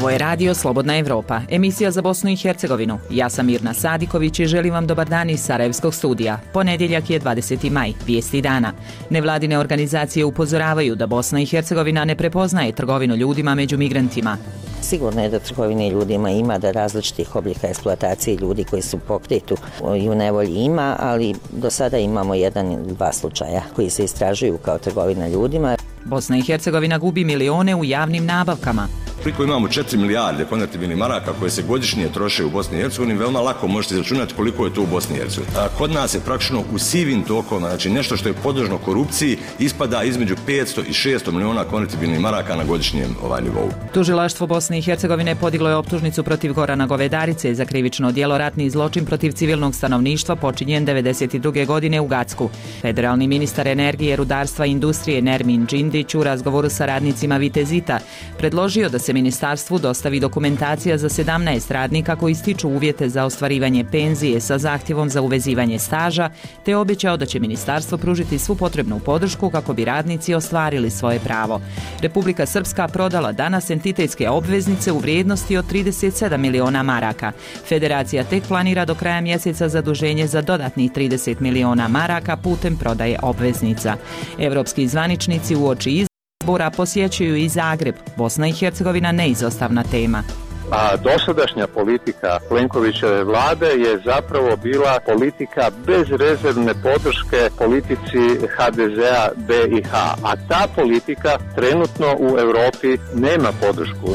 Ovo je radio Slobodna Evropa, emisija za Bosnu i Hercegovinu. Ja sam Mirna Sadiković i želim vam dobar dan iz Sarajevskog studija. Ponedjeljak je 20. maj, vijesti dana. Nevladine organizacije upozoravaju da Bosna i Hercegovina ne prepoznaje trgovinu ljudima među migrantima. Sigurno je da trgovine ljudima ima, da različitih oblika eksploatacije ljudi koji su pokretu i u nevolji ima, ali do sada imamo 1 ili 2 slučaja koji se istražuju kao trgovina ljudima. Bosna i Hercegovina gubi milione u javnim nabavkama. Koliko imamo 4 milijarde konvertibilnih maraka koje se godišnje troše u Bosni i Hercegovini, veoma lako možete izračunati koliko je to u Bosni i Hercegovini. Kod nas je praktično u sivim tokovima, znači nešto što je podložno korupciji, ispada između 500 i 600 miliona konvertibilnih maraka na godišnjem nivou. Tužilaštvo Bosne i Hercegovine podiglo je optužnicu protiv Gorana Govedarice za krivično djelo ratni zločin protiv civilnog stanovništva počinjen 1992. godine u Gacku. Federalni ministar energije, rudarstva i industrije Nermin Džindić u razgovoru sa radnicima Vitezita predložio da se ministarstvu dostavi dokumentacija za 17 radnika koji stiču uvjete za ostvarivanje penzije sa zahtjevom za uvezivanje staža, te obećao da će ministarstvo pružiti svu potrebnu podršku kako bi radnici ostvarili svoje pravo. Republika Srpska prodala danas entitetske obveznice u vrijednosti od 37 miliona maraka. Federacija tek planira do kraja mjeseca zaduženje za dodatnih 30 miliona maraka putem prodaje obveznica. Evropski zvaničnici uoči izbora posjećuju i Zagreb. Bosna i Hercegovina neizostavna tema. A dosadašnja politika Plenkovićeve vlade je zapravo bila politika bezrezervne podrške politici HDZ-a BiH, a ta politika trenutno u Europi nema podršku.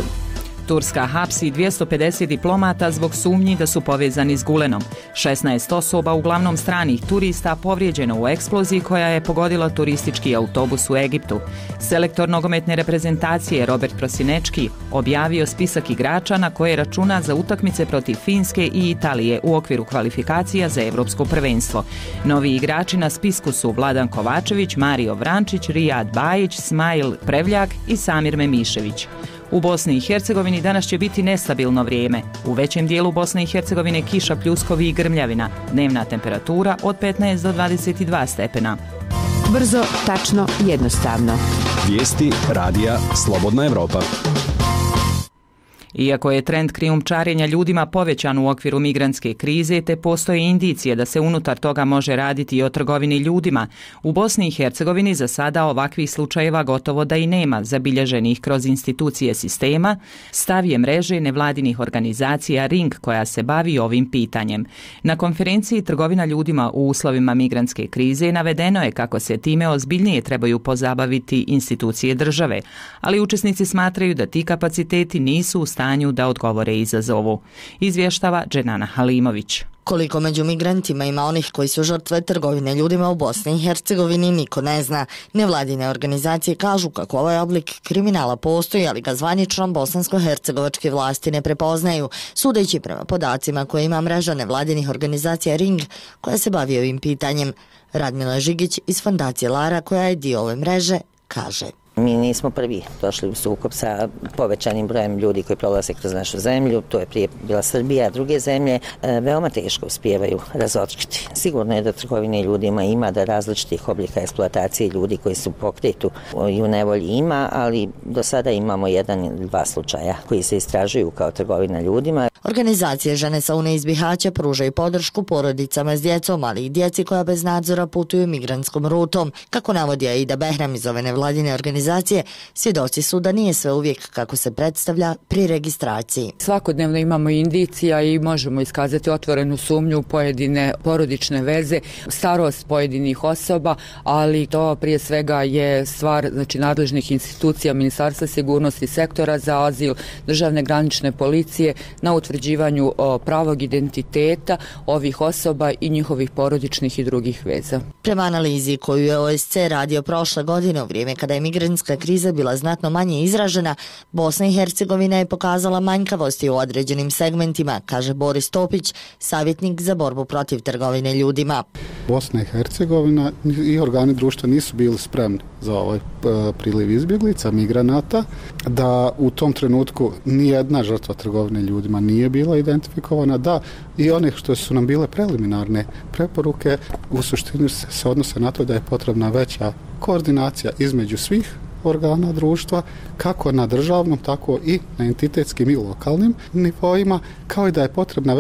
Turska hapsi 250 diplomata zbog sumnji da su povezani s Gulenom. 16 osoba, uglavnom stranih turista, povrijeđeno u eksploziji koja je pogodila turistički autobus u Egiptu. Selektor nogometne reprezentacije Robert Prosinečki objavio spisak igrača na koje računa za utakmice protiv Finske i Italije u okviru kvalifikacija za Evropsko prvenstvo. Novi igrači na spisku su Vladan Kovačević, Mario Vrančić, Rijad Bajić, Smajl Prevljak i Samir Memišević. U Bosni i Hercegovini danas će biti nestabilno vrijeme. U većem dijelu Bosne i Hercegovine kiša, pljuskovi i grmljavina. Dnevna temperatura od 15 do 22 stepena. Brzo, tačno, jednostavno. Vijesti radija Slobodna Evropa. Iako je trend krijumčarenja ljudima povećan u okviru migrantske krize, te postoje indicije da se unutar toga može raditi i o trgovini ljudima, u Bosni i Hercegovini za sada ovakvih slučajeva gotovo da i nema, zabilježenih kroz institucije sistema, stav je mreže nevladinih organizacija Ring koja se bavi ovim pitanjem. Na konferenciji Trgovina ljudima u uslovima migrantske krize navedeno je kako se time ozbiljnije trebaju pozabaviti institucije države, ali učesnici smatraju da ti kapaciteti nisu u stanju da odgovore izazovu. Izvještava Dženana Halimović. Koliko među migrantima ima onih koji su žrtve trgovine ljudima u Bosni i Hercegovini, niko ne zna. Nevladine organizacije kažu kako ovaj oblik kriminala postoji, ali ga zvanično bosansko-hercegovačke vlasti ne prepoznaju, sudeći prema podacima koje ima mreža nevladinih organizacija Ring, koja se bavi ovim pitanjem. Radmila Žigić iz fondacije Lara, koja je dio ove mreže, kaže: Mi nismo prvi došli u sukob sa povećanim brojem ljudi koji prolaze kroz našu zemlju, to je prije bila Srbija, a druge zemlje veoma teško uspijevaju razotkriti. Sigurno je da trgovine ljudima ima, da različitih oblika eksploatacije ljudi koji su pokretu i u nevolji ima, ali do sada imamo 1 ili 2 slučaja koji se istražuju kao trgovina ljudima. Organizacije Žene sa UNE iz Bihaća pružaju podršku porodicama s djecom, ali i djeci koja bez nadzora putuju migrantskom rutom. Kako navodi Aida Behram iz ove nevladine organizacije, svjedoci su da nije sve uvijek kako se predstavlja pri registraciji. Svakodnevno imamo indicija i možemo iskazati otvorenu sumnju u pojedine porodične veze, starost pojedinih osoba, ali to prije svega je stvar nadležnih institucija, Ministarstva sigurnosti, sektora za azil, državne granične policije na utvrđivanju pravog identiteta ovih osoba i njihovih porodičnih i drugih veza. Prema analizi koju je OSC radio prošle godine u vrijeme kada je migrantska kriza bila znatno manje izražena, Bosna i Hercegovina je pokazala manjkavosti u određenim segmentima, kaže Boris Topić, savjetnik za borbu protiv trgovine ljudima. Bosna i Hercegovina i organi društva nisu bili spremni za ovaj priliv izbjeglica, migranata, da u tom trenutku nijedna žrtva trgovine ljudima nije bila identifikovana, da i one što su nam bile preliminarne preporuke u suštini se odnose na to da je potrebna veća koordinacija između svih organa društva, kako na državnom, tako i na entitetskim i lokalnim nivoima, kao i da je potrebna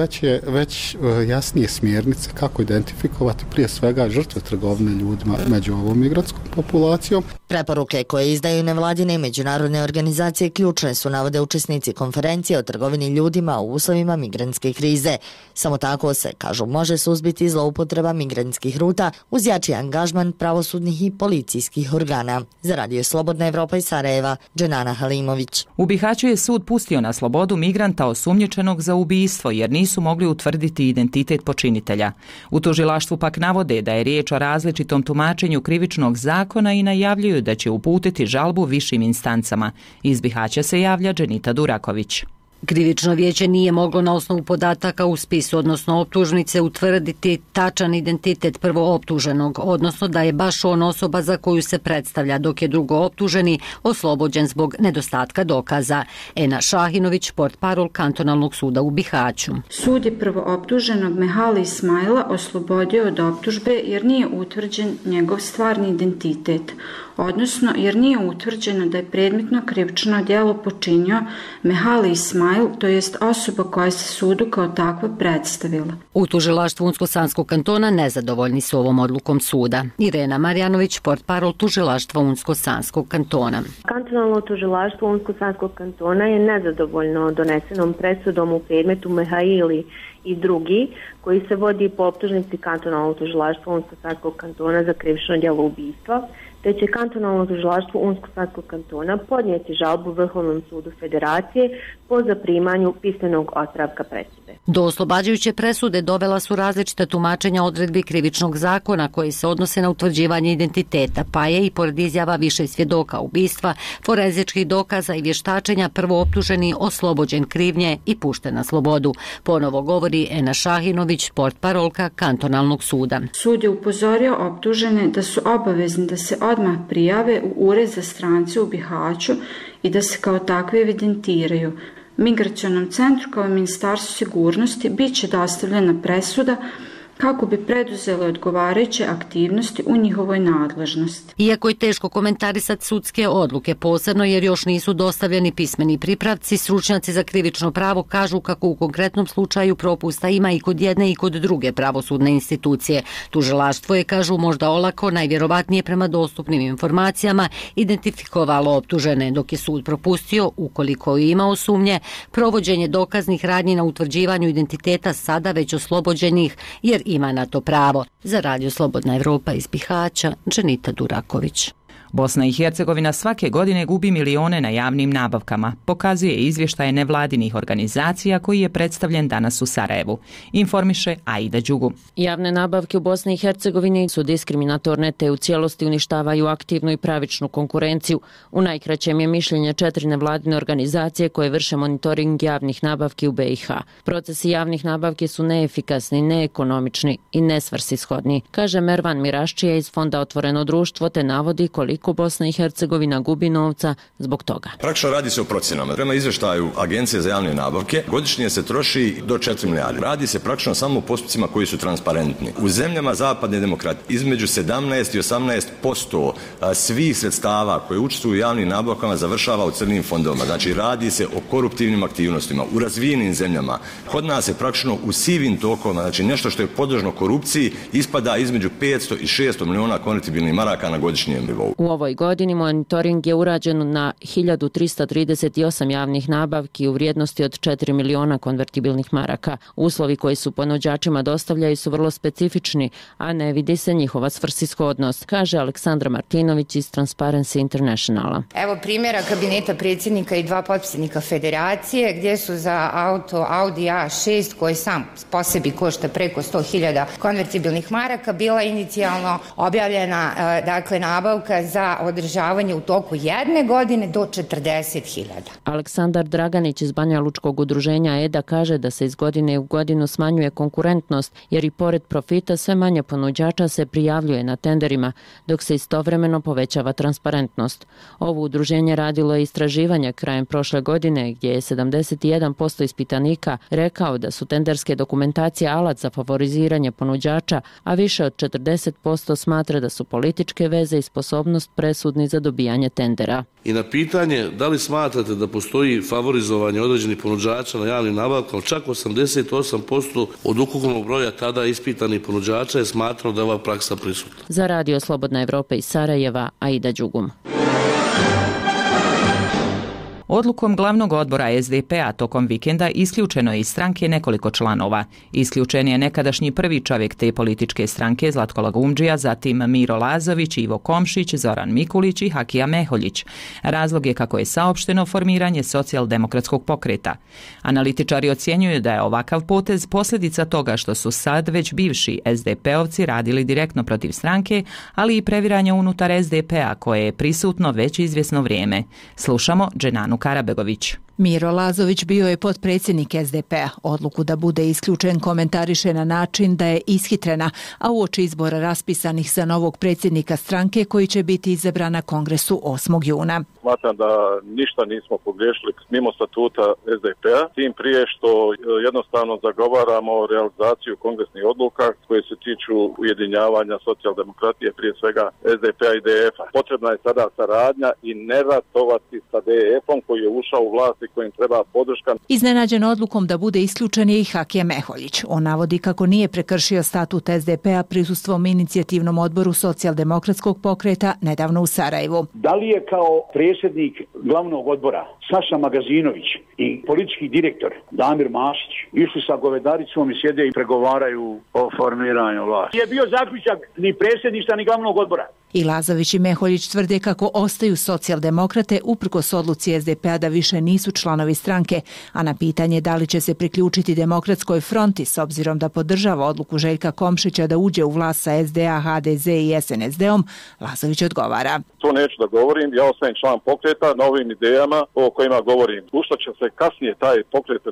već jasnije smjernice kako identifikovati prije svega žrtve trgovine ljudima među ovom migrantskom populacijom. Preporuke koje izdaju nevladine i međunarodne organizacije ključne su, navode učesnici konferencije o trgovini ljudima u uslovima migrantske krize. Samo tako se, kažu, može suzbiti zloupotreba migrantskih ruta uz jači angažman pravosudnih i policijskih organa. Za Radio Slobodna Evropa iz Sarajeva, Dženana Halimović. U Bihaću je sud pustio na slobodu migranta osumnjičenog za ubistvo jer nisu mogli utvrditi identitet počinitelja. U tužilaštvu pak navode da je riječ o različitom tumačenju krivičnog zakona i najavljuju da će uputiti žalbu višim instancama. Iz Bihaća se javlja Dženita Duraković. Krivično vijeće nije moglo na osnovu podataka u spisu, odnosno optužnice, utvrditi tačan identitet prvooptuženog, odnosno da je baš on osoba za koju se predstavlja, dok je drugooptuženi oslobođen zbog nedostatka dokaza. Ena Šahinović, portparol kantonalnog suda u Bihaću. Sud je prvooptuženog Mehali Ismaila oslobodio od optužbe jer nije utvrđen njegov stvarni identitet, odnosno jer nije utvrđeno da je predmetno krivično djelo počinio Mehali Ismail, to jest osoba koja se sudu kao takva predstavila. U tužilaštvu Unsko-Sanskog kantona nezadovoljni su ovom odlukom suda. Irena Marjanović, portparol tužilaštva Unsko-Sanskog kantona. Kantonalno tužilaštvo Unsko-Sanskog kantona je nezadovoljno donesenom presudom u predmetu Mehaili i drugi, koji se vodi po optužnici kantonalnog tužilaštva Unsko-Sanskog kantona za krivično djelo ubistva, te će kantonalno tužilaštvo Unsko-Sanskog kantona podnijeti žalbu Vrhovnom sudu Federacije po zaprimanju pismenog otpravka presude. Do oslobađajuće presude dovela su različita tumačenja odredbi krivičnog zakona koji se odnose na utvrđivanje identiteta, pa je i pored izjava više svjedoka ubistva, forenzičkih dokaza i vještačenja prvooptuženi oslobođen krivnje i pušten na slobodu. Ponovo govori Ena Šahinović, portparolka kantonalnog suda. Sud je upozorio optužene da su obavezni da se odmah prijave u ured za strance u Bihaću i da se kao takve evidentiraju. Migracionom centru kao i Ministarstvu sigurnosti bit će dostavljena presuda kako bi preduzeli odgovarajuće aktivnosti u njihovoj nadležnosti. Iako je teško komentarisati sudske odluke, posebno jer još nisu dostavljeni pismeni pripravci, stručnjaci za krivično pravo kažu kako u konkretnom slučaju propusta ima i kod jedne i kod druge pravosudne institucije. Tužilaštvo je, kažu, možda olako, najvjerovatnije prema dostupnim informacijama, identifikovalo optužene, dok je sud propustio, ukoliko je imao sumnje, provođenje dokaznih radnji na utvrđivanju identiteta sada već oslobođenih, jer ima na to pravo. Za Radio Slobodna Evropa iz Bihaća, Dženita Duraković. Bosna i Hercegovina svake godine gubi milione na javnim nabavkama, pokazuje izvještaj nevladinih organizacija koji je predstavljen danas u Sarajevu. Informiše Aida Đugu. Javne nabavke u Bosni i Hercegovini su diskriminatorne te u cijelosti uništavaju aktivnu i pravičnu konkurenciju. U najkraćem je mišljenje 4 nevladine organizacije koje vrše monitoring javnih nabavki u BiH. Procesi javnih nabavki su neefikasni, neekonomični i nesvrsishodni, kaže Mervan Miraščija iz Fonda Otvoreno društvo, te navodi koliko Bosna i Hercegovina gubi novca zbog toga. Praktično radi se o procjenama. Prema izvještaju Agencije za javne nabavke godišnje se troši do 4 milijarde. Radi se praktično samo o postupcima koji su transparentni. U zemljama zapadne demokratije između 17 i 18% svih sredstava koje učestvuju u javnim nabavkama završava u crnim fondovima. Znači radi se o koruptivnim aktivnostima. U razvijenim zemljama kod nas je praktično u sivim tokovima, znači nešto što je podložno korupciji, ispada između 500 i 600 miliona konvertibilnih maraka na godišnjem nivou. U ovoj godini monitoring je urađen na 1338 javnih nabavki u vrijednosti od 4 miliona konvertibilnih maraka. Uslovi koji su ponuđačima dostavljaju su vrlo specifični, a ne vidi se njihova svrsishodnost, kaže Aleksandra Martinović iz Transparency Internationala. Evo primjera kabineta predsjednika i 2 potpredsjednika federacije gdje su za auto Audi A6 koji sam po sebi košta preko 100.000 konvertibilnih maraka bila inicijalno objavljena nabavka za održavanje u toku 1 godine do 40.000. Aleksandar Draganić iz Banja Lučkog udruženja EDA kaže da se iz godine u godinu smanjuje konkurentnost jer i pored profita sve manje ponuđača se prijavljuje na tenderima dok se istovremeno povećava transparentnost. Ovo udruženje radilo je istraživanje krajem prošle godine gdje je 71% ispitanika rekao da su tenderske dokumentacije alat za favoriziranje ponuđača, a više od 40% smatra da su političke veze i sposobnost presudni za dobijanje tendera. I na pitanje da li smatrate da postoji favorizovanje određenih ponuđača na javnim nabavkama, čak 88% od ukupnog broja tada ispitanih ponuđača je smatralo da je ova praksa prisutna. Za Radio Slobodna Evropa iz Sarajeva, Aida Đugum. Odlukom glavnog odbora SDP-a tokom vikenda isključeno je iz stranke nekoliko članova. Isključen je nekadašnji prvi čovjek te političke stranke Zlatko Lagumdžija, zatim Miro Lazović, Ivo Komšić, Zoran Mikulić i Hakija Meholjić. Razlog je, kako je saopšteno, formiranje socijaldemokratskog pokreta. Analitičari ocjenjuju da je ovakav potez posljedica toga što su sad već bivši SDP-ovci radili direktno protiv stranke, ali i previranje unutar SDP-a koje je prisutno već izvjesno vrijeme. Slušamo Dženanu Karabegović. Miro Lazović bio je potpredsjednik SDP-a. Odluku da bude isključen komentariše na način da je ishitrena, a uoči izbora raspisanih za novog predsjednika stranke koji će biti izabran na kongresu 8. juna. Smatram da ništa nismo pogriješili mimo statuta SDP-a, tim prije što jednostavno zagovaramo realizaciju kongresnih odluka koje se tiču ujedinjavanja socijaldemokratije, prije svega SDP-a i DF-a. Potrebna je sada saradnja i ne ratovati sa DF-om koji je ušao u vlast i kojim treba podrška. Iznenađen odlukom da bude isključen je i Hakija Meholjić. On navodi kako nije prekršio statut SDP-a prisustvom inicijativnom odboru socijaldemokratskog pokreta nedavno u Sarajevu. Da li je kao predsjednik glavnog odbora Saša Magazinović i politički direktor Damir Mašić išli sa Govedaricom i sjede i pregovaraju o formiranju vlasti? Je bio zaključak ni predsjedništva ni glavnog odbora. I Lazović i Meholjić tvrde kako ostaju socijaldemokrate uprkos odluci SDP-a da više nisu članovi stranke, a na pitanje da li će se priključiti Demokratskoj fronti s obzirom da podržava odluku Željka Komšića da uđe u vlast sa SDA, HDZ i SNSD-om, Lazović odgovara. To neću da govorim, ja ostajem član pokreta na ovim idejama o kojima govorim. U što će se kasnije taj pokret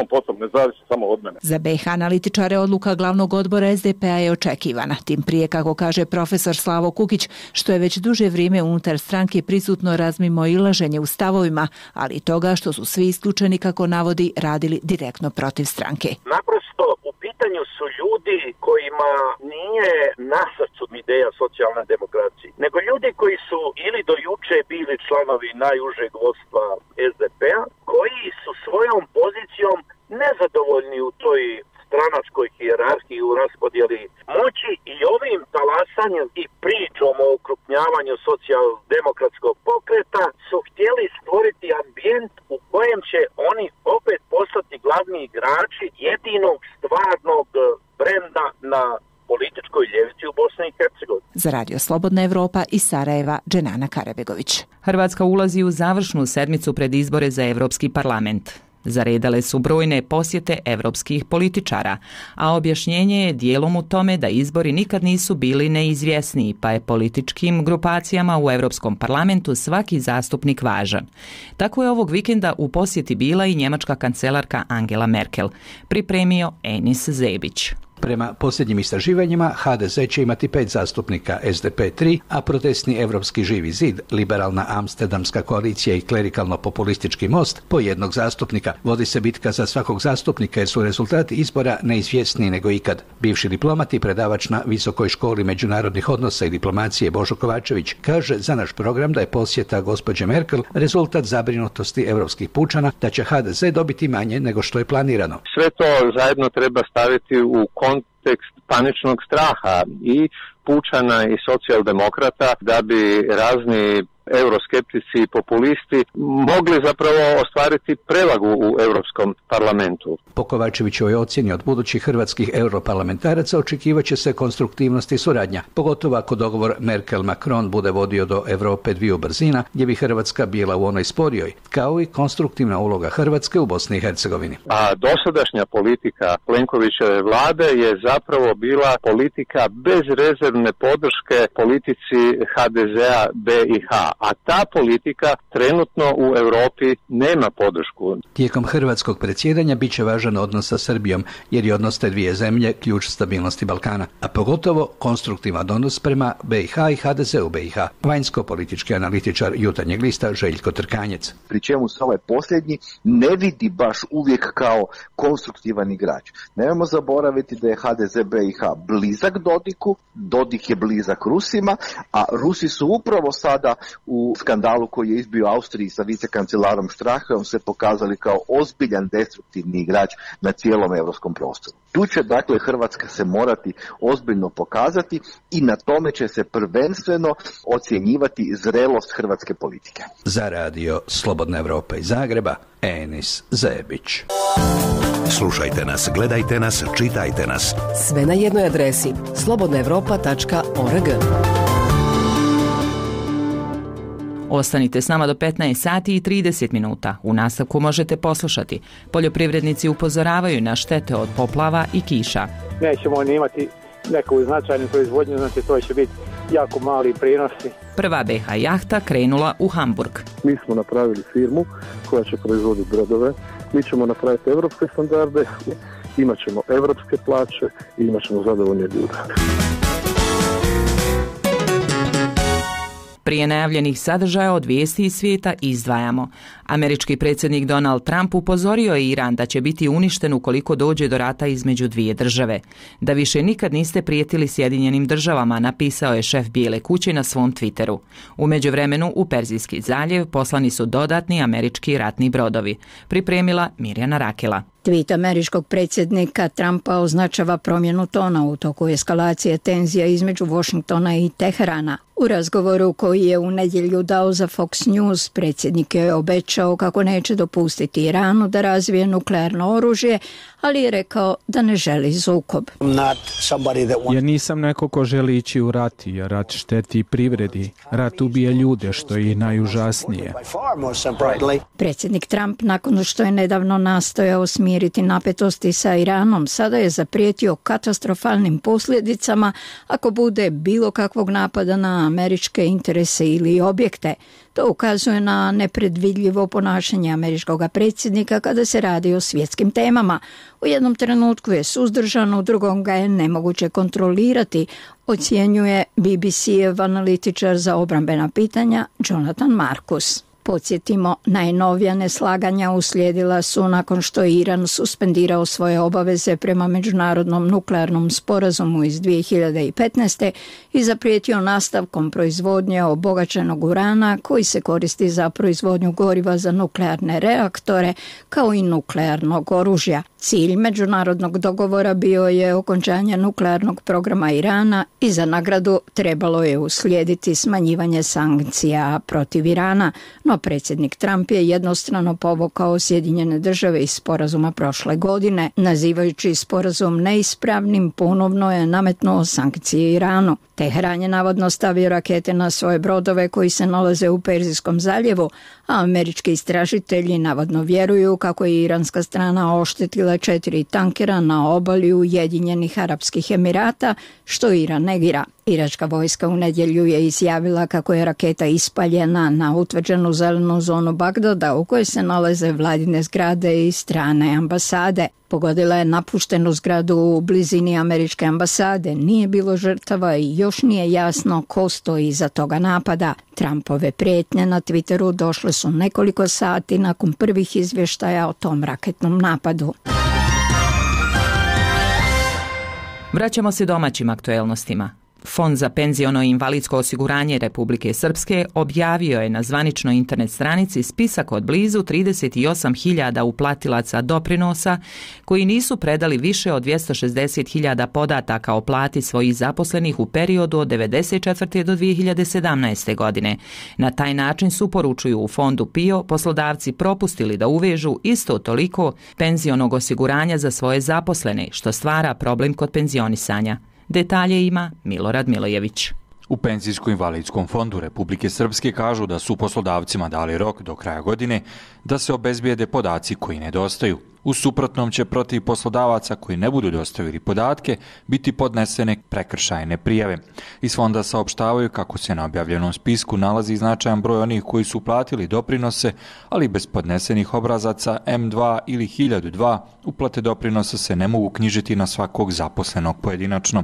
potom ne zavisi samo od mene. Za BiH analitičare odluka glavnog odbora SDP-a je očekivana, tim prije, kako kaže profesor Slavo Kukić, što je već duže vrijeme unutar stranke prisutno razmimoilaženje u stavovima, ali i toga što su svi isključeni, kako navodi, radili direktno protiv stranke. Naprosto u pitanju su ljudi kojima nije na srcu ideja socijalne demokracije, nego ljudi koji su ili do juče bili članovi najužeg vodstva SDP-a, koji su svojom pozicijom nezadovoljni u toj stranačkoj hijerarhiji u raspodjeli moći i ovim talasanjem i pričom o okrupnjavanju socijaldemokratskog pokreta su htjeli stvoriti ambijent u kojem će oni opet postati glavni igrači jedinog stvarnog brenda na političkoj ljevici u Bosni i Hercegovini. Za Radio Slobodna Evropa iz Sarajeva, Dženana Karabegović. Hrvatska ulazi u završnu sedmicu pred izbore za Europski parlament. Zaredale su brojne posjete europskih političara, a objašnjenje je dijelom u tome da izbori nikad nisu bili neizvjesniji, pa je političkim grupacijama u Europskom parlamentu svaki zastupnik važan. Tako je ovog vikenda u posjeti bila i njemačka kancelarka Angela Merkel, pripremio Enis Zebić. Prema posljednjim istraživanjima, HDZ će imati 5 zastupnika, SDP 3, a protestni Evropski živi zid, liberalna Amsterdamska koalicija i klerikalno-populistički most po jednog zastupnika. Vodi se bitka za svakog zastupnika jer su rezultati izbora neizvjesniji nego ikad. Bivši diplomat i predavač na Visokoj školi međunarodnih odnosa i diplomacije Božo Kovačević kaže za naš program da je posjeta gospođe Merkel rezultat zabrinutosti europskih pučana da će HDZ dobiti manje nego što je planirano. Sve to zajedno treba staviti u kontekst paničnog straha i pučana i socijaldemokrata da bi razni euroskeptici i populisti mogli zapravo ostvariti prevagu u Europskom parlamentu. Po Kovačevićevoj ocjeni od budućih hrvatskih europarlamentaraca očekivaće se konstruktivnost i suradnja, pogotovo ako dogovor Merkel-Macron bude vodio do Europe dviju brzina, gdje bi Hrvatska bila u onoj sporijoj, kao i konstruktivna uloga Hrvatske u Bosni i Hercegovini. A dosadašnja politika Plenkovićeve vlade je zapravo bila politika bezrezervne podrške politici HDZ-a BiH. a ta politika trenutno u Europi nema podršku. Tijekom hrvatskog predsjedanja bit će važan odnos sa Srbijom, jer je odnos te dvije zemlje ključ stabilnosti Balkana, a pogotovo konstruktivan odnos prema BiH i HDZ-u BiH. Vanjsko-politički analitičar Jutarnjeg lista Željko Trkanjec. Pri čemu se ovaj posljednji ne vidi baš uvijek kao konstruktivan igrač. Nemojmo zaboraviti da je HDZ BiH blizak Dodiku, Dodik je blizak Rusima, a Rusi su upravo sada u skandalu koji je izbio Austriji sa vicekancelarom Strachom se pokazali kao ozbiljan destruktivni igrač na cijelom europskom prostoru. Tu će dakle Hrvatska se morati ozbiljno pokazati i na tome će se prvenstveno ocjenjivati zrelost hrvatske politike. Za radio Slobodna Evropa iz Zagreba, Enis Zebić. Slušajte nas, gledajte nas, čitajte nas. Sve na jednoj adresi slobodnaevropa.org. Ostanite s nama do 15 sati i 30 minuta. U nastavku možete poslušati. Poljoprivrednici upozoravaju na štete od poplava i kiša. Nećemo ni imati neku značajnu proizvodnju, znači to će biti jako mali prinosi. Prva BH jahta krenula u Hamburg. Mi smo napravili firmu koja će proizvoditi brodove. Mi ćemo napraviti evropske standarde, imat ćemo evropske plaće i imat ćemo zadovoljne ljude. Prije najavljenih sadržaja od vijesti iz svijeta izdvajamo. Američki predsjednik Donald Trump upozorio je Iran da će biti uništen ukoliko dođe do rata između dvije države. Da više nikad niste prijetili Sjedinjenim državama, napisao je šef Bijele kuće na svom Twitteru. U međuvremenu u Perzijski zaljev poslani su dodatni američki ratni brodovi. Pripremila Mirjana Rakela. Tweet američkog predsjednika Trumpa označava promjenu tona u toku eskalacije tenzija između Washingtona i Teherana. U razgovoru koji je u nedjelju dao za Fox News, predsjednik je obećao kako neće dopustiti Iranu da razvije nuklearno oružje, ali je rekao da ne želi sukob. Ja nisam neko ko želi ići u rat, jer rat šteti privredi. Rat ubije ljude, što je i najužasnije. Predsjednik Trump, nakon što je nedavno nastojao smiriti napetosti sa Iranom, sada je zaprijetio katastrofalnim posljedicama ako bude bilo kakvog napada na američke interese ili objekte. To ukazuje na nepredvidljivo ponašanje američkog predsjednika kada se radi o svjetskim temama. U jednom trenutku je suzdržan, u drugom ga je nemoguće kontrolirati, ocjenjuje BBC-ev analitičar za obrambena pitanja Jonathan Marcus. Podsjetimo, najnovija neslaganja uslijedila su nakon što je Iran suspendirao svoje obaveze prema međunarodnom nuklearnom sporazumu iz 2015. i zaprijetio nastavkom proizvodnje obogaćenog urana koji se koristi za proizvodnju goriva za nuklearne reaktore kao i nuklearnog oružja. Cilj međunarodnog dogovora bio je okončanje nuklearnog programa Irana i za nagradu trebalo je uslijediti smanjivanje sankcija protiv Irana, no predsjednik Trump je jednostrano povukao Sjedinjene države iz sporazuma prošle godine. Nazivajući sporazum neispravnim, ponovno je nametnuo sankcije Iranu. Teheran je navodno stavio rakete na svoje brodove koji se nalaze u Perzijskom zaljevu, a američki istražitelji navodno vjeruju kako je iranska strana oštetila 4 tankera na obali Ujedinjenih Arapskih Emirata, što Iran negira. Iračka vojska u nedjelju je izjavila kako je raketa ispaljena na utvrđenu zelenu zonu Bagdada u kojoj se nalaze vladine zgrade i strane ambasade. Pogodila je napuštenu zgradu u blizini američke ambasade, nije bilo žrtava i još nije jasno ko stoji iza toga napada. Trumpove prijetnje na Twitteru došle su nekoliko sati nakon prvih izvještaja o tom raketnom napadu. Vraćamo se domaćim aktuelnostima. Fond za penziono i invalidsko osiguranje Republike Srpske objavio je na zvaničnoj internet stranici spisak od blizu 38.000 uplatilaca doprinosa koji nisu predali više od 260.000 podataka o plati svojih zaposlenih u periodu od 1994. do 2017. godine. Na taj način su, poručuju u fondu PIO, poslodavci propustili da uvežu isto toliko penzionog osiguranja za svoje zaposlene, što stvara problem kod penzionisanja. Detalje ima Milorad Milojević. U Penzijsko-invalidskom fondu Republike Srpske kažu da su poslodavcima dali rok do kraja godine da se obezbijede podaci koji nedostaju. U suprotnom će protiv poslodavaca koji ne budu dostavili podatke biti podnesene prekršajne prijave. Iz fonda saopštavaju kako se na objavljenom spisku nalazi značajan broj onih koji su platili doprinose, ali bez podnesenih obrazaca M2 ili 1002 uplate doprinosa se ne mogu knjižiti na svakog zaposlenog pojedinačno.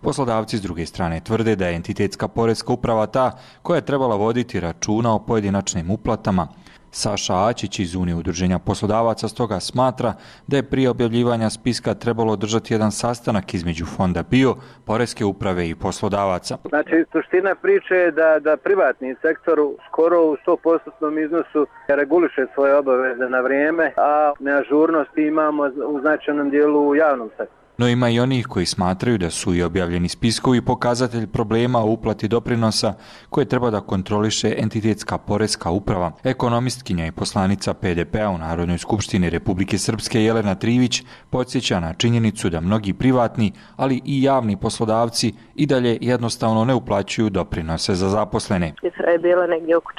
Poslodavci s druge strane tvrde da je entitetska poreska uprava ta koja je trebala voditi računa o pojedinačnim uplatama. Saša Ačić iz Unije udruženja poslodavaca stoga smatra da je prije objavljivanja spiska trebalo održati jedan sastanak između fonda PIO, poreske uprave i poslodavaca. Znači, suština priče je da privatni sektor skoro u 100% iznosu reguliše svoje obaveze na vrijeme, a neažurnosti imamo u značajnom dijelu u javnom sektoru. No ima i onih koji smatraju da su i objavljeni spiskovi pokazatelj problema u uplati doprinosa koje treba da kontroliše entitetska poreska uprava. Ekonomistkinja i poslanica PDP-a u Narodnoj skupštini Republike Srpske Jelena Trivić podsjeća na činjenicu da mnogi privatni, ali i javni poslodavci i dalje jednostavno ne uplaćuju doprinose za zaposlene. Cifra je bila negdje oko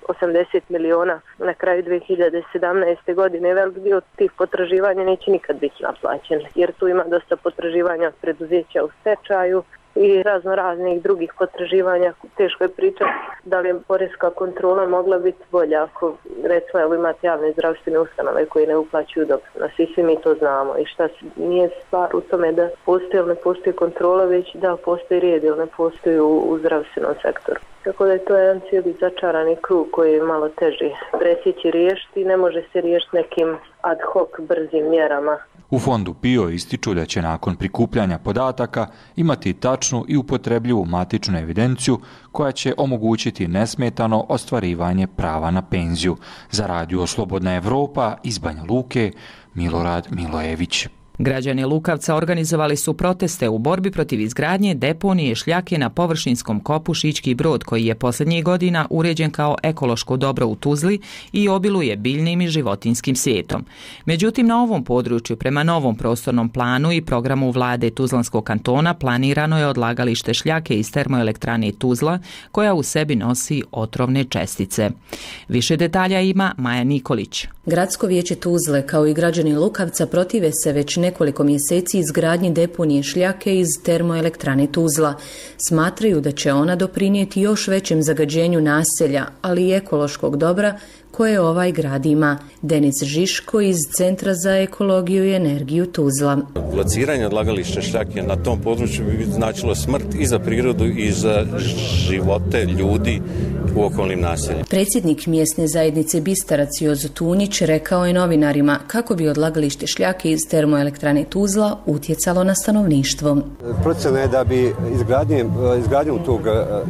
480 miliona na kraju 2017. godine. Velik dio tih potraživanja neće nikad biti naplaćen, jer tu ima dosta potraživanja preduzeća u stečaju i raznih drugih potraživanja. Teško je pričati da li je poreska kontrola mogla biti bolja ako, recimo, imate javne zdravstvene ustanove koje ne uplaćuju doprinos. I svi mi to znamo. I šta nije stvar u tome da postoji ili ne postoji kontrola, već da postoji red ili ne postoji u zdravstvenom sektoru. Tako da je to jedan cijeli začarani krug koji je malo teži presjeći riješiti i ne može se riješiti nekim ad hoc brzim mjerama. U fondu PIO ističu da će nakon prikupljanja podataka imati tačnu i upotrebljivu matičnu evidenciju koja će omogućiti nesmetano ostvarivanje prava na penziju. Za Radio Slobodna Evropa iz Banja Luke, Milorad Milojević. Građani Lukavca organizovali su proteste u borbi protiv izgradnje deponije šljake na površinskom kopu Šički Brod, koji je posljednjih godina uređen kao ekološko dobro u Tuzli i obiluje biljnim i životinjskim svijetom. Međutim, na ovom području prema novom prostornom planu i programu vlade Tuzlanskog kantona planirano je odlagalište šljake iz termoelektrane Tuzla, koja u sebi nosi otrovne čestice. Više detalja ima Maja Nikolić. Gradsko vijeće Tuzle kao i građani Lukavca protive se već nekoliko mjeseci izgradnji deponije šljake iz termoelektrane Tuzla. Smatraju da će ona doprinijeti još većem zagađenju naselja, ali i ekološkog dobra koje ovaj grad ima. Denis Žiško iz Centra za ekologiju i energiju Tuzla. Lociranje odlagališta šljake na tom području bi značilo smrt i za prirodu i za živote ljudi u okolnim naseljima. Predsjednik mjesne zajednice Bistarac Jozo Tunić rekao je novinarima kako bi odlagalište šljake iz termoelektrane Tuzla utjecalo na stanovništvo. Procjena je da bi izgradnjom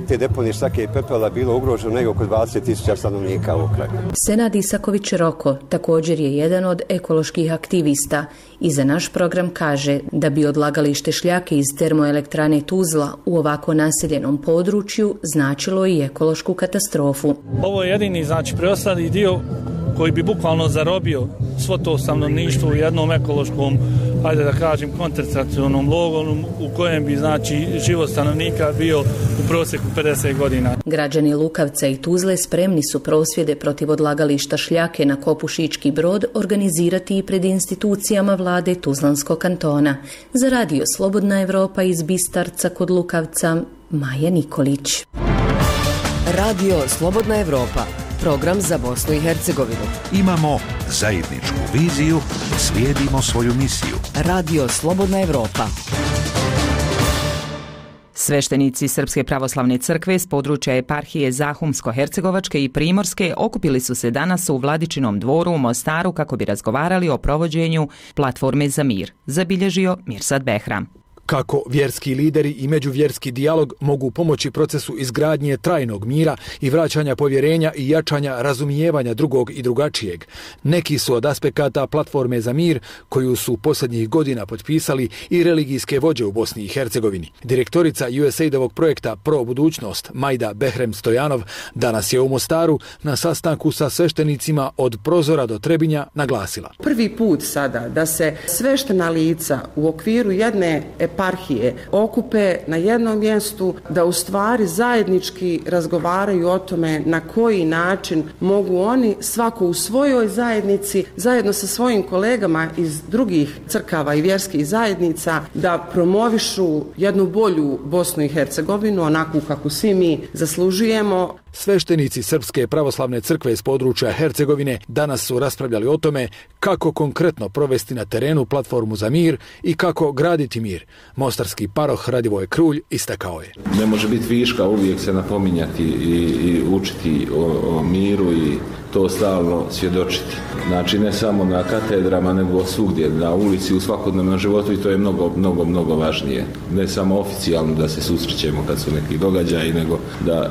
te deponije šljake i pepela bilo ugroženo negdje oko 20.000 stanovnika u kraju. Senad Isaković Roko također je jedan od ekoloških aktivista i za naš program kaže da bi odlagalište šljake iz termoelektrane Tuzla u ovako naseljenom području značilo i ekološku katastrofu. Ovo je jedini preostali dio koji bi bukvalno zarobio svo to stanovništvo u jednom ekološkom, ajde da kažem, koncentracionom logoru u kojem bi život stanovnika bio u prosjeku 50 godina. Građani Lukavca i Tuzle spremni su prosvjede protiv odlagališta šljake na kopu Šički Brod organizirati i pred institucijama vlade Tuzlanskog kantona. Za Radio Slobodna Evropa iz Bistarca kod Lukavca, Maja Nikolić. Radio Slobodna Evropa, program za Bosnu i Hercegovinu. Imamo zajedničku viziju, slijedimo svoju misiju. Radio Slobodna Evropa. Sveštenici Srpske pravoslavne crkve s područja eparhije Zahumsko-Hercegovačke i Primorske okupili su se danas u Vladičinom dvoru u Mostaru kako bi razgovarali o provođenju platforme za mir, zabilježio Mirsad Behram. Kako vjerski lideri i međuvjerski dijalog mogu pomoći procesu izgradnje trajnog mira i vraćanja povjerenja i jačanja razumijevanja drugog i drugačijeg. Neki su od aspekata platforme za mir koju su posljednjih godina potpisali i religijske vođe u Bosni i Hercegovini. Direktorica USAID-ovog projekta Pro budućnost Majda Behrem Stojanov danas je u Mostaru na sastanku sa sveštenicima od Prozora do Trebinja naglasila. Prvi put sada da se sveštena lica u okviru jedne eparhije okupe na jednom mjestu, da u stvari zajednički razgovaraju o tome na koji način mogu oni svako u svojoj zajednici zajedno sa svojim kolegama iz drugih crkava i vjerskih zajednica da promovišu jednu bolju Bosnu i Hercegovinu, onakvu kako svi mi zaslužujemo. Sveštenici Srpske pravoslavne crkve iz područja Hercegovine danas su raspravljali o tome kako konkretno provesti na terenu platformu za mir i kako graditi mir. Mostarski paroh Radivoj Krulj istakao je. Ne može biti viška uvijek se napominjati i učiti o miru i to stalno svjedočiti. Znači ne samo na katedrama, nego svugdje, na ulici, u svakodnevnom životu i to je mnogo važnije. Ne samo oficijalno da se susrećemo kad su neki događaji, nego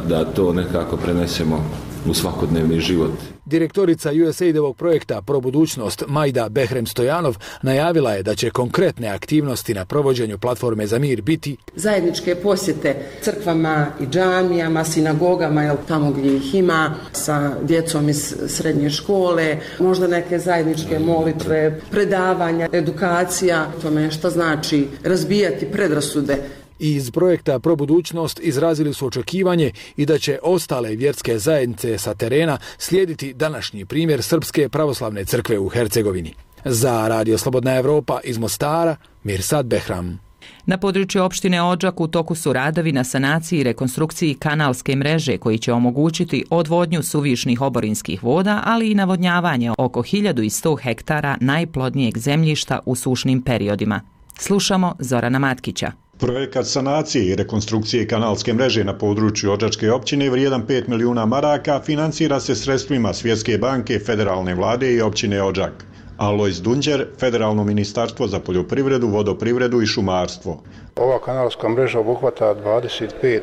da to nekako prenesemo u svakodnevni život. Direktorica USAID-ovog projekta Pro budućnost Majda Behrem Stojanov najavila je da će konkretne aktivnosti na provođenju platforme za mir biti zajedničke posjete crkvama i džamijama, sinagogama, tamo gdje ih ima, sa djecom iz srednje škole, možda neke zajedničke molitve, predavanja, edukacija, tome šta znači razbijati predrasude. Iz projekta Pro budućnost izrazili su očekivanje i da će ostale vjerske zajednice sa terena slijediti današnji primjer Srpske pravoslavne crkve u Hercegovini. Za Radio Slobodna Evropa iz Mostara, Mirsad Behram. Na području opštine Odžak u toku su radovi na sanaciji i rekonstrukciji kanalske mreže koji će omogućiti odvodnju suvišnih oborinskih voda, ali i navodnjavanje oko 1100 hektara najplodnijeg zemljišta u sušnim periodima. Slušamo Zorana Matkića. Projekat sanacije i rekonstrukcije kanalske mreže na području Odžačke općine vrijedan 5 milijuna maraka financira se sredstvima Svjetske banke, federalne vlade i općine Odžak. Alojz Dunđer, Federalno ministarstvo za poljoprivredu, vodoprivredu i šumarstvo. Ova kanalska mreža obuhvata 25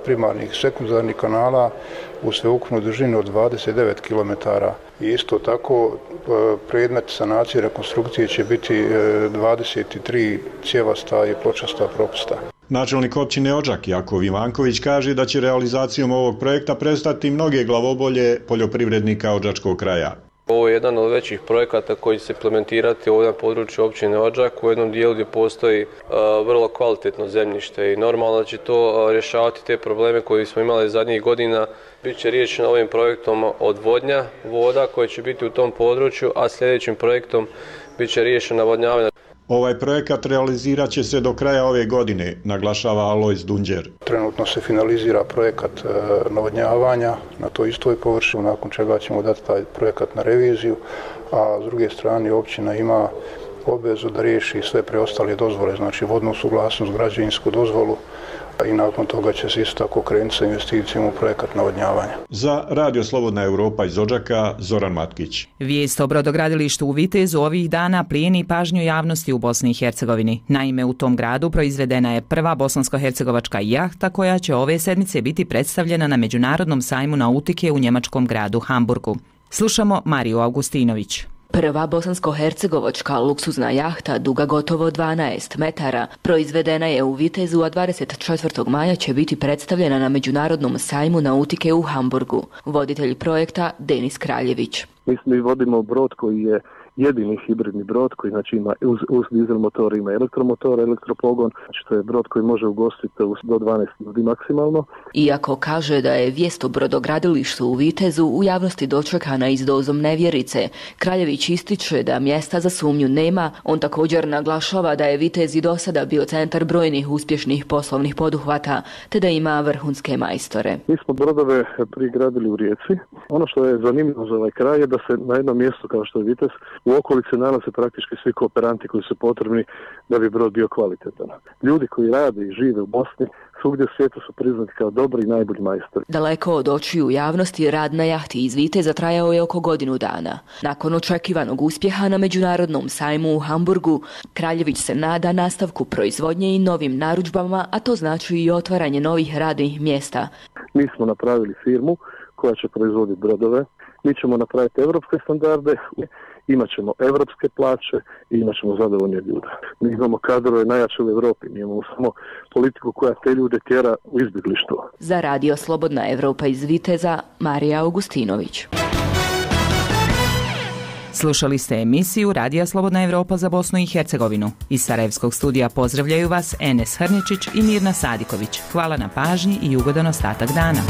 primarnih sekundarnih kanala u sveukupnu dužinu od 29 km. I isto tako predmet sanacije i rekonstrukcije će biti 23 cjevasta i pločasta propusta. Načelnik općine Odžak Jakov Ivanković kaže da će realizacijom ovog projekta prestati mnoge glavobolje poljoprivrednika Odžačkog kraja. Ovo je jedan od većih projekata koji će se implementirati ovdje na području općine Odžak u jednom dijelu gdje postoji vrlo kvalitetno zemljište i normalno da će to rješavati te probleme koje smo imali zadnjih godina. Biće riješeno ovim projektom odvodnja voda koje će biti u tom području, a sljedećim projektom biće riješeno navodnjavanje. Ovaj projekat realizirat će se do kraja ove godine, naglašava Alojz Dunđer. Trenutno se finalizira projekat navodnjavanja na toj istoj površini, nakon čega ćemo dati taj projekat na reviziju, a s druge strane općina ima obvezu da riješi sve preostale dozvole, znači vodnu suglasnost, građevinsku dozvolu, i nakon toga će se isto tako krenuti sa investicijom u projekat navodnjavanja. Za Radio Slobodna Evropa iz Odžaka, Zoran Matkić. Vijest o brodogradilištu u Vitezu ovih dana plijeni pažnju javnosti u Bosni i Hercegovini. Naime, u tom gradu proizvedena je prva bosansko-hercegovačka jahta koja će ove sedmice biti predstavljena na Međunarodnom sajmu nautike u njemačkom gradu Hamburgu. Slušamo Mariju Augustinović. Prva bosansko-hercegovačka luksuzna jahta duga gotovo 12 metara proizvedena je u Vitezu, a 24. maja će biti predstavljena na Međunarodnom sajmu nautike u Hamburgu. Voditelj projekta Denis Kraljević. Mi vodimo brod koji je jedini hibridni brod koji znači ima uz dizel motor, ima elektromotor, elektropogon, znači to je brod koji može ugostiti do 12 ljudi maksimalno. Iako kaže da je vijest o brodogradilištu u Vitezu u javnosti dočekana i s dozom nevjerice, Kraljević ističe da mjesta za sumnju nema. On također naglašava da je Vitez i do sada bio centar brojnih uspješnih poslovnih poduhvata, te da ima vrhunske majstore. Mi smo brodove prigradili u Rijeci. Ono što je zanimljivo za ovaj kraj je da se na jednom mjestu kao što je Vitez u okolici nalaze praktički svi kooperanti koji su potrebni da bi brod bio kvalitetan. Ljudi koji rade i žive u Bosni svugdje u svijetu su priznati kao dobri i najbolji majstori. Daleko od očiju javnosti rad na jahti iz Viteza trajao je oko godinu dana. Nakon očekivanog uspjeha na Međunarodnom sajmu u Hamburgu, Kraljević se nada nastavku proizvodnje i novim narudžbama, a to znači i otvaranje novih radnih mjesta. Mi smo napravili firmu koja će proizvoditi brodove. Mi ćemo napraviti evropske standarde, imat ćemo evropske plaće i imat ćemo zadovoljne ljude. Mi imamo kadrove najjače u Europi, mi imamo samo politiku koja te ljude tjera u izbjeglištvo. Za Radio Slobodna Evropa iz Viteza, Marija Augustinović. Slušali ste emisiju Radija Slobodna Evropa za Bosnu i Hercegovinu. Iz Sarajevskog studija pozdravljaju vas Enes Hrničić i Mirna Sadiković. Hvala na pažnji i ugodan ostatak dana.